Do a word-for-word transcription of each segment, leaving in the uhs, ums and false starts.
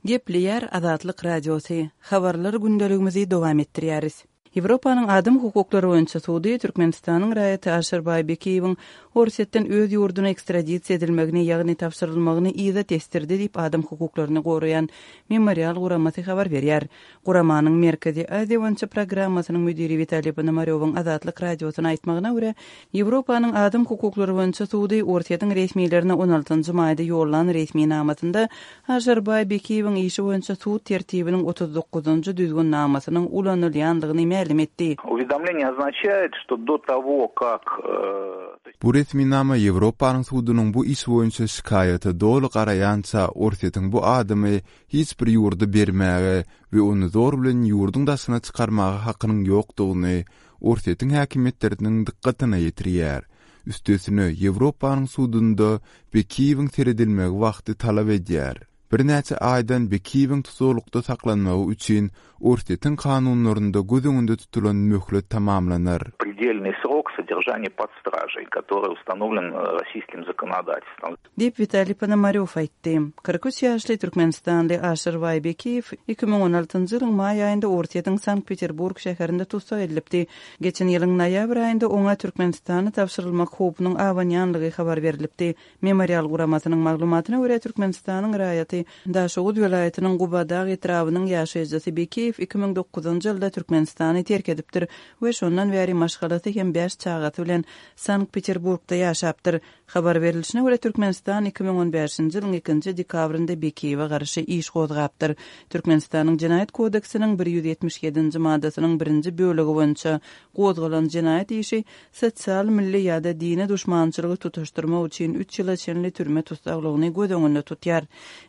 Gepleýär Azatlyk Radiosy, Habarlar gündeligimizi dowam etdirýäris. Ýewropanyň adam hukuklary boýunça sudy Türkmenistanyň raýaty Aşyrbaý Bekiýewiň Orsýetden öz ýurduna ekstradisiýa edilmegini, ýagny tabşyrylmagyny yza tesdirdi diýip, adam hukuklaryny goraýan Memorial guramasy habar berýär. Guramanyň Merkezi Aziýa boýunça programmasynyň müdiri Witaliý Ponomarýowyň Azatlyk Radiosyna aýtmagyna görä, Ýewropanyň adam hukuklary boýunça sudy Orsýetiň resmilerine on altynjy maýda ýollan resminamasynda Aşyrbaý Bekiýewiň işi boýunça sud tertibiniň otuz dokuzynjy düzgünnamasynyň ulanylýandygyny mälim etdi. Уведомление означает, что до того, как, Bu resminama Ýewropanyň sudunyň bu iş boýunça şikaýata doly garaýança Orsýetiň bu adamy hiç bir ýurda bermäge we ony zor bilen ýurduň daşyna çykarmaga hakynyň ýokdugyny Orsýetiň häkimiýetleriniň dykgatyna ýetirýär. Üstesine, Ýewropanyň sudunda Bekiýewiň seredilmegi wagty talap edýär. Birnäçe aýdan Bekiýewiň tutuklykda saklanmagy üçin Orsýetiň kanunlarynda göz öňünde tutulan möhlet tamamlanar. Предельный срок содержания под стражей, который установлен российским законодательством. Diýip Witaliý Ponomarýow aýtdy. Kyrk üç ýaşly türkmenistanly Aşyrbaý Bekiýew iki müň on altynjy ýylyň maý aýynda Orsýetiň Sankt-Peterburg şäherinde tussag edilipdi. Geçen ýylyň noýabr aýynda oňa Türkmenistana tabşyrylmak howpunyň abanýanlygy habar berlipdi. Memorial guramasynyň maglumatyna görä Türkmenistanyň raýaty Daşoguz welaýatynyň Gubadag etrabynyň ýaşaýjysy Bekiýew iki müň dokuzynjy ýylda Türkmenistany terk edipdir we şondan bäri maşgalasy hem bäş çagasy bilen Sankt-Peterburgda ýaşapdyr. Habar berilişine görä Türkmenistan iki müň on bäşinji ýylyň ikinji dekabrynda Bekiýewe garşy iş gozgapdyr. Türkmenistanyň Jenaýat kodeksiniň bir ýüz ýetmiş ýedinji maddasynyň birinji bölegi boýunça gozgalan jenaýat işi sosial, milli ýa-da dini duşmançylygy tutaşdyrmak üçin üç ýyla çenli türme tussaglygyny göz öňünde tutýar.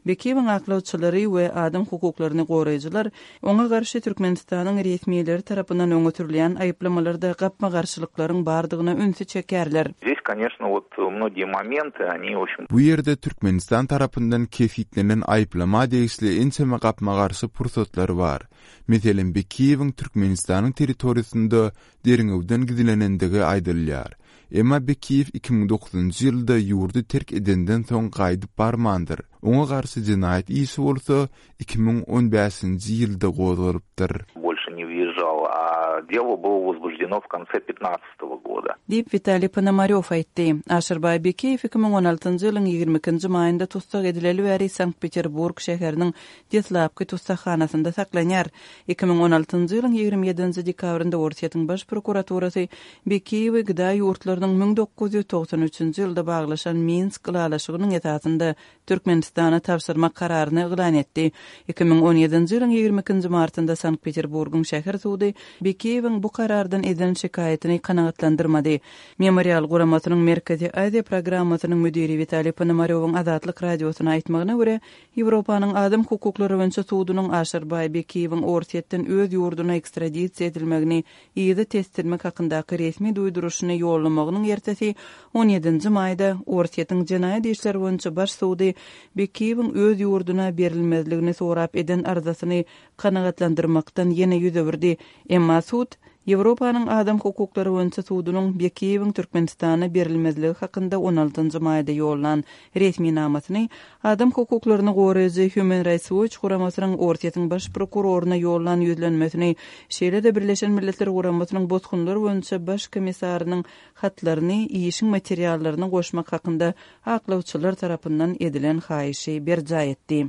Bekiýewiň aklawçylary we adam hukuklaryny goraýjylar oňa garşy Türkmenistanyň resmileri tarapyndan öňe sürülýän aýyplamalarda gapma-garşylyklaryň bardygyna ünsi çekerler. Здесь, конечно, вот многие моменты, они, в общем, Bu ýerde Türkmenistan tarapyndan kesitlenen aýyplama degişli ençeme gapma-garşy pursatlar bar. Meselem, Bekiýewiň Türkmenistanyň territoriýasynda derňewden gizlenendigi aýdylýar. Emma Bekiýew iki müň dokuzynjy ýylda ýurdy terk edenden soň gaýdyp barmandyr. Oňa garşy jenaýat işi bolsa iki müň on bäşinji ýylda gozgalypdyr. Больше не въезжал, а дело было возбуждено в конце пятнадцатого года. Diýip Witaliý Ponomarýow aýtdy. Aşyrbaý Bekiýew iki müň on altynjy ýylyň ýigrimi ikinji maýynda tussag edileli bäri Sankt-Peterburg şäheriniň deslapky tussaghanasynda saklanýar. Iki müň on altynjy ýylyň ýigrimi ýedinji dekabrynda Orsýetiň baş prokuraturasy Bekiýewi gda ýurtlarynyň müň dokuz ýüz togsan üçünji ýylda baglaşan Minsk ylalaşygynyň esasynda Türkmenistana tabşyrmak kararyny yglan etdi. Iki müň on ýedinji ýylyň ýigrimi ikinji martynda Sankt-Peterburgyň şäher sudy Bekiýewiň bu karardan eden şikaýatyny kanagatlandyrmady. Memorial guramasynyň Merkezi Aziýa programmasynyň müdiri Witaliý Ponomarýowyň Azatlyk Radiosyna aýtmagyna görä, Ýewropanyň adam hukuklary boýunça sudunyň Aşyrbaý Bekiýewiň Orsýetden öz ýurduna ekstradisiýa edilmegini yza tesdirmek hakyndaky resmi duýduryşyny ýollamagynyň ertesi on ýedinji maýda Orsýetiň jenaýat işleri boýunça baş sudy Bekiýewiň öz ýurduna berilmezligini sorap eden arzasyny kanagatlandyrmakdan ýene ýüz öwürdi. Emma sud Ýewropanyň adam hukuklary boýunça sudunyň Bekiýewiň Türkmenistana berilmezligi hakynda on altynjy maýda ýollan resminamasyny adam hukuklaryny goraýjy Human Rights Watch guramasynyň Orsýetiň baş prokuroryna ýollan ýüzlenmesini, şeýle-de Birleşen Milletler Guramasynyň bosgunlar boýunça baş komissarynyň hatlaryny işiň materiallaryny goşmak hakynda aklawçylar tarapyndan edilen haýyşy berjaý etdi.